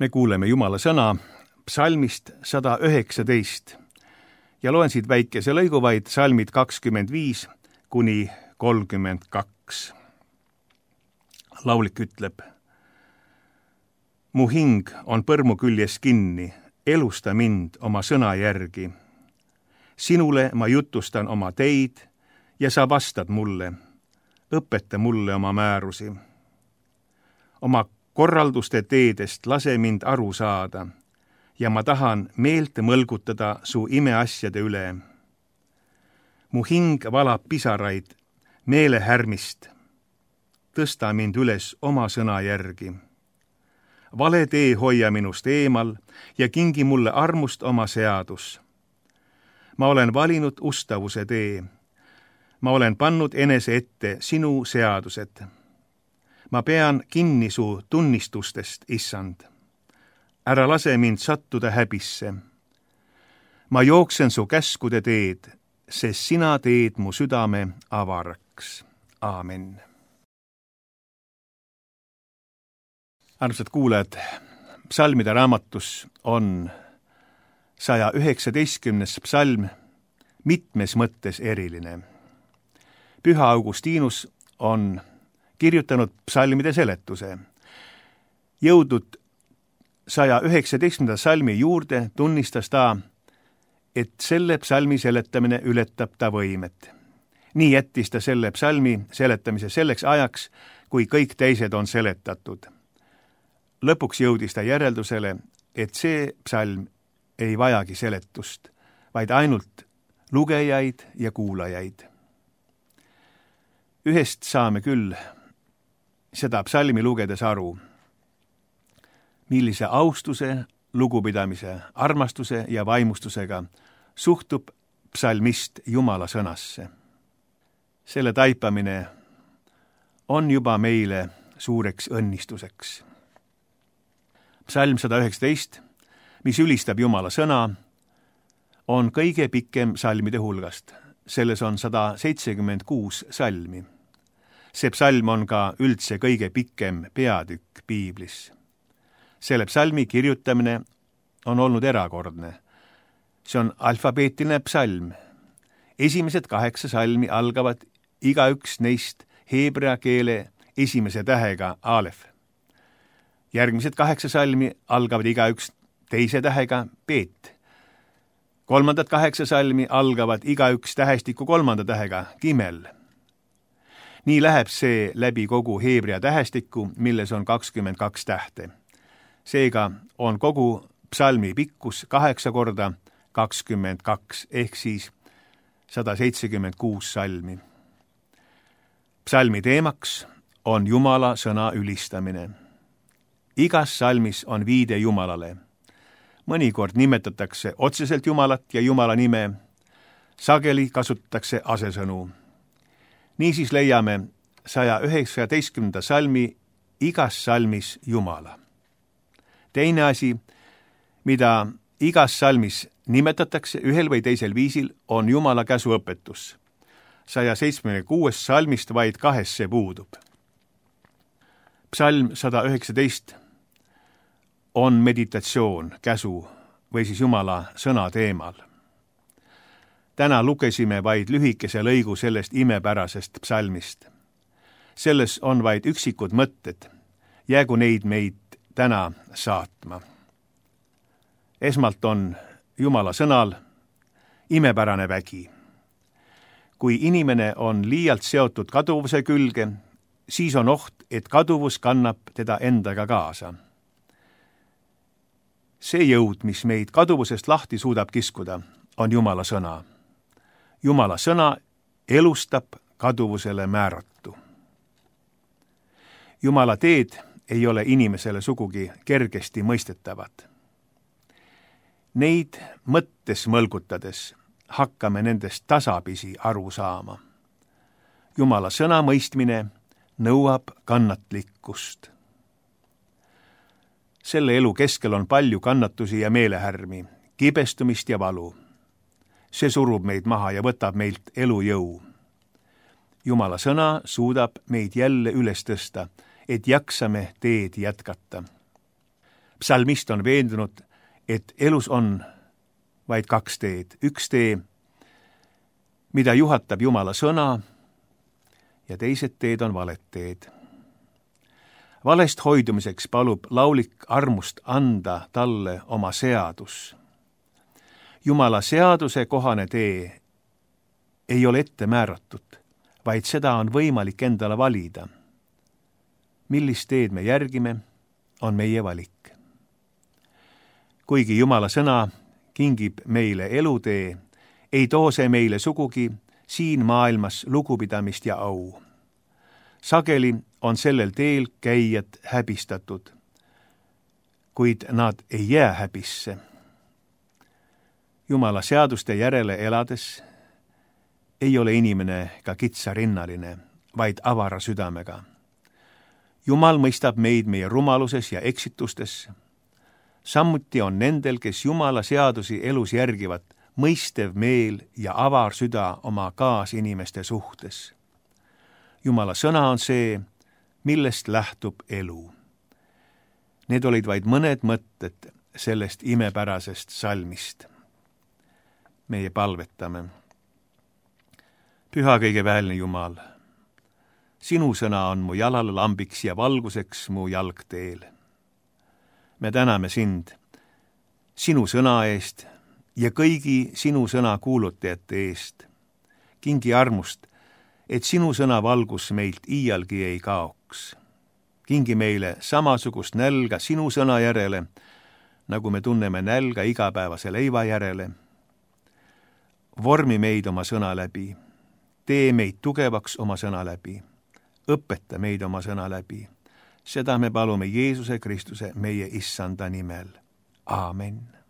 Me kuuleme Jumala sõna psalmist 119 ja loen siit väikese lõigu vaid psalmid 25 kuni 32. Laulik ütleb: Mu hing on põrmu küljes kinni, elusta mind oma sõna järgi. Sinule ma jutustan oma teid ja sa vastad mulle. Õpeta mulle oma määrusi. Oma korralduste teedest lase mind aru saada ja ma tahan meelt mõlgutada su imeasjade üle. Mu hing valab pisaraid meelehärmist. Tõsta mind üles oma sõna järgi. Vale tee hoia minust eemal ja kingi mulle armust oma seadus. Ma olen valinud ustavuse tee. Ma olen pannud enese ette sinu seadused. Ma pean kinni su tunnistustest, issand. Ära lase mind sattuda häbisse. Ma jooksen su käskude teed, sest sina teed mu südame avaraks. Aamen. Armsad kuulajad, psalmide raamatus on 119. psalm mitmes mõttes eriline. Püha Augustinus on kirjutanud psalmide seletuse. Jõudnud 119. psalmi juurde tunnistas ta, et selle psalmi seletamine ületab ta võimet. Nii jättis ta selle psalmi seletamise selleks ajaks, kui kõik teised on seletatud. Lõpuks jõudis ta järeldusele, et see psalm ei vajagi seletust, vaid ainult lugejaid ja kuulajaid. Ühest saame küll seda psalmi lugedes aru, millise austuse, lugupidamise, armastuse ja vaimustusega suhtub psalmist Jumala sõnasse. Selle taipamine on juba meile suureks õnnistuseks. Psalm 119, mis ülistab Jumala sõna, on kõige pikem psalmide hulgast. Selles on 176 psalmi. See psalm on ka üldse kõige pikem peatükk piiblis. Selle psalmi kirjutamine on olnud erakordne. See on alfabeetiline psalm. Esimesed 8 psalmi algavad igaüks neist heebrea keele esimese tähega alef. Järgmised 8 psalmi algavad igaüks teise tähega beet. Kolmandad 8 psalmi algavad igaüks tähestiku 3. tähega gimel. Nii läheb see läbi kogu heebrea tähestikku, milles on 22 tähte. Seega on kogu psalmi pikkus 8 korda 22 ehk siis 176 psalmi. Psalmi teemaks on Jumala sõna ülistamine. Igas psalmis on viide Jumalale. Mõnikord nimetatakse otseselt Jumalat ja Jumala nime, sageli kasutatakse asesõnu. Niisiis leiame 119. psalmi igas psalmis Jumala. Teine asi, mida igas psalmis nimetatakse ühel või teisel viisil, on Jumala käsuõpetus. 176 psalmist vaid 2 see puudub. Psalm 119 on meditatsioon, käsu või siis Jumala sõna teemal. Täna lugesime vaid lühikese lõigu sellest imepärasest psalmist. Selles on vaid üksikud mõtted. Jäägu neid meid täna saatma. Esmalt on Jumala sõnal imepärane vägi. Kui inimene on liialt seotud kaduvuse külge, siis on oht, et kaduvus kannab teda endaga kaasa. See jõud, mis meid kaduvusest lahti suudab kiskuda, on Jumala sõna. Jumala sõna elustab kaduvusele määratu. Jumala teed ei ole inimesele sugugi kergesti mõistetavad. Neid mõttes mõlgutades hakkame nendest tasapisi aru saama. Jumala sõna mõistmine nõuab kannatlikkust. Selle elu keskel on palju kannatusi ja meelehärmi, kibestumist ja valu. See surub meid maha ja võtab meilt elujõu. Jumala sõna suudab meid jälle üles tõsta, et jaksame teed jätkata. psalmist on veendunud, et elus on vaid kaks teed. Üks tee, mida juhatab Jumala sõna, ja teised teed on valed teed. Valest hoidumiseks palub laulik armust anda talle oma seadus. Jumala seaduse kohane tee ei ole ette määratud, vaid seda on võimalik endale valida. Millist teed me järgime, on meie valik. Kuigi Jumala sõna kingib meile elutee, ei too see meile sugugi siin maailmas lugupidamist ja au. Sageli on sellel teel käijad häbistatud, kuid nad ei jää häbisse. Jumala seaduste järele elades ei ole inimene ka kitsarinnaline, vaid avara südamega. Jumal mõistab meid meie rumaluses ja eksitustes. Samuti on nendel, kes Jumala seadusi elus järgivad, mõistev meel ja avar süda oma kaasinimeste suhtes. Jumala sõna on see, millest lähtub elu. Need olid vaid mõned mõtted sellest imepärasest salmist. Meie palvetame. Püha kõigeväelne Jumal, sinu sõna on mu jalale lambiks ja valguseks mu jalgteel. Me täname sind sinu sõna eest ja kõigi sinu sõna kuulutajate eest. Kingi armust, et sinu sõna valgus meilt iialgi ei kaoks. Kingi meile samasugust nälga sinu sõna järele, nagu me tunneme nälga igapäevase leiva järele. Vormi meid oma sõna läbi, tee meid tugevaks oma sõna läbi, õpeta meid oma sõna läbi. Seda me palume Jeesuse Kristuse, meie issanda nimel. Aamen.